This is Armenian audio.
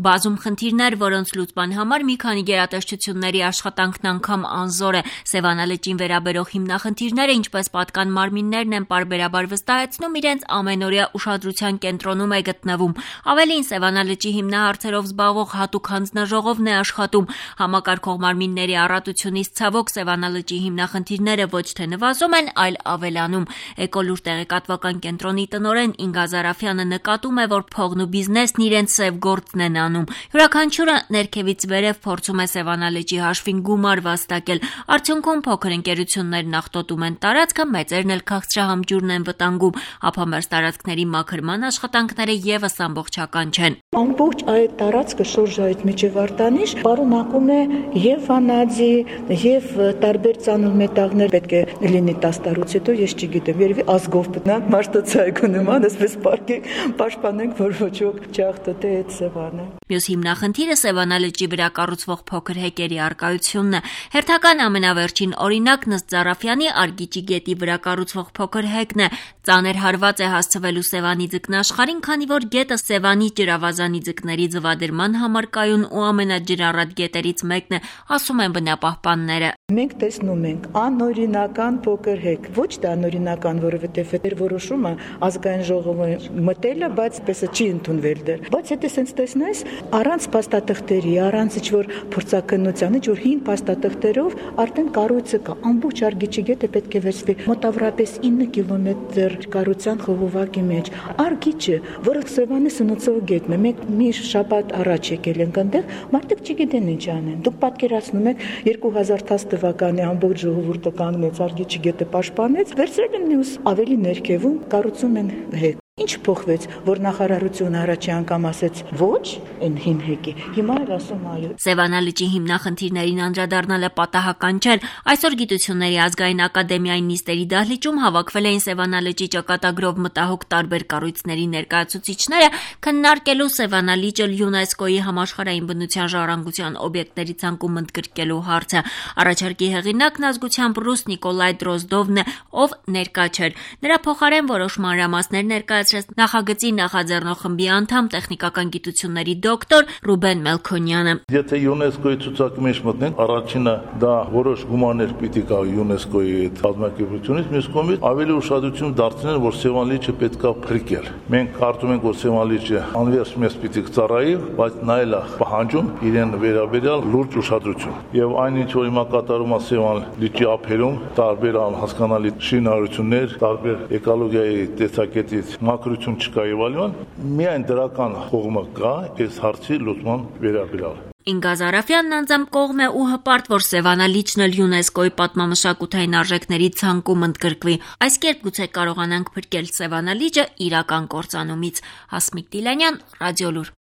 Բազում խնդիրներ, որոնց լուծման համար մի քանի գերատեսչությունների աշխատանքն անգամ անզոր է։ Սևանալճին վերաբերող հիմնախնդիրները, ինչպես պատկան մարմիններն են պարբերաբար վստահեցնում, իրենց ամենօրյա ուշադրության կենտրոնում է գտնվում։ Ավելին, Սևանալճի հիմնահարցերով զբաղվող հատուկ հանձնաժողովն է աշխատում։ Համակարգող մարմինների առատությունից ցավոք Սևանալճի հիմնախնդիրները ոչ թե նվազում են, այլ ավելանում։ Էկոլուր տեղեկատվական կենտրոնի տնօրեն Ինգա Զարաֆյանը նկատում է, որ փողն ու բիզնեսն իրենց սև գործն են անում։ Յուրաքանչյուրը ներքևից վերև փորձում է Սևանալճի հաշվին գումար վաստակել։ Արդյունքում փոքր ընկերություններն աղտոտում են տարածքը, մեծերն էլ քաղցրահամջուրն են վտանգում։ Ափամերձ տարածքների մաքրման աշխատանքները եւս ամբողջական չեն։ Ամբողջ այդ տարածքը շուրջը այդ միջևարտանիշ պարունակում է եւ վանաձի, եւ տարբեր ծանր մետաղներ, պետք է լինի 10 տարուց հետո, ես չգիտեմ, երևի ազգով պետք է մարտոցայգու նման, այսպես պաշտպանենք, որ ոչ ոք չաղտոտի այդ Սևանը։ Մյուս հիմնախնդիրը Սևանալճի վրա կառուցվող փոքր հեկերի առկայությունն է։ Հերթական ամենավերջին օրինակն ըստ Զարաֆյանի Արգիճի գետի վրա կառուցվող փոքր հեկն է։ Ծանր հարված է հասցվելու Սևանի ձկնաշխարհին, քանի որ գետը Սևանի ջրավազանի ձկների ձվադրման համար կայուն ու ամենաջրառատ գետերից մեկն է, ասում են բնապահպանները։ Մենք տեսնում ենք անօրինական փոքր հեկ։ Ոչ թե անօրինական, որովհետև այդ որոշումը ազգային ժողովը մտել է, բայց պես չի ընդունվել դեռ։ Բայց եթե sense տեսնես, առանց փաստաթղթերի, առանց ինչ-որ փորձակնության, ինչ-որ հին փաստաթղթերով արդեն կառույցը կա։ Ամբողջ Արգիճի գետը պետք է վերցվի մոտավորապես 9 կիլոմետր կառուցության խողովակի մեջ։ Արգիճը, որը Սևանի սնուցող գետն է, մենք մի շաբաթ առաջ եկել ենք այնտեղ, մարդիկ չգիտեն ինչ անեն։ Դուք պատկերացնում եք 2010 թվականի ամբողջ ժողովուրդը կանգնեց Արգիճի գետը պաշտպանեց, վերցրել են մյուս ավելի ներքևում կառուցում են հեկ։ Ինչ փոխվեց, որ նախարարությունը առաջի անգամ ասեց ոչ այն հին հեկի, հիմա էլ ասում այո։ Սևանալճի հիմնախնդիրներին անդրադառնալը պատահական չէ։ Այսօր Գիտությունների ազգային ակադեմիայի նիստերի դահլիճում հավաքվել էին Սևանալճի ճակատագրով մտահոգ տարբեր կառույցների ներկայացուցիչները, քննարկելու Սևանալիճը ՅՈՒՆԵՍԿՕ-ի համաշխարհային բնության ժառանգության օբյեկտների ցանկում ընդգրկելու հարցը։ Առաջարկի հեղինակն ազգությամբ ռուս Նիկոլայ Դրոզդովն է, ով ներկա չէր։ Նրա փոխարեն որոշ մանրամասներ ներկայացրեց նախագծի նախաձեռնող խմբի անդամ տեխնիկական գիտությունների դոկտոր Ռուբեն Մելքոնյանը։ Եթե ՅՈՒՆԵՍԿՕ-ի ցուցակի մեջ մտնենք, առաջինը դա որոշ գումարներ պիտի գա ՅՈՒՆԵՍԿՕ-ի կազմակերպությունից, մյուս կողմից ավելի ուշադրություն դարձնել, որ Սևանալիճը պետքա փրկել։ Մենք կարծում ենք, որ Սևանալիճը անվերջ մեզ պիտի ծառայի, բայց նայել է պահանջում իրեն վերաբերյալ լուրջ ուշադրություն։ Եվ այն ինչ որ հիմա կատարում է Սևանալիճի ափերում, տարբեր անհասկանալի շինարարություններ, տարբեր էկոլոգիայի տեսակետից մակրություն չկա եւ այլն, միայն դրական կողմը կա այս հարցի լուծման վերաբերյալ։ Ինգա Զարաֆյանն անձամբ կողմ է ու հպարտ, որ Սևանալիճն էլ ՅՈՒՆԵՍԿՕ-ի պատմամշակութային արժեքների ցանկում ընդգրկվի։ Այս կերպ գուցե կարողանանք փրկել Սևանալիճը իրական կործանումից։ Հասմիկ Դիլանյան, Ռադիոլուր։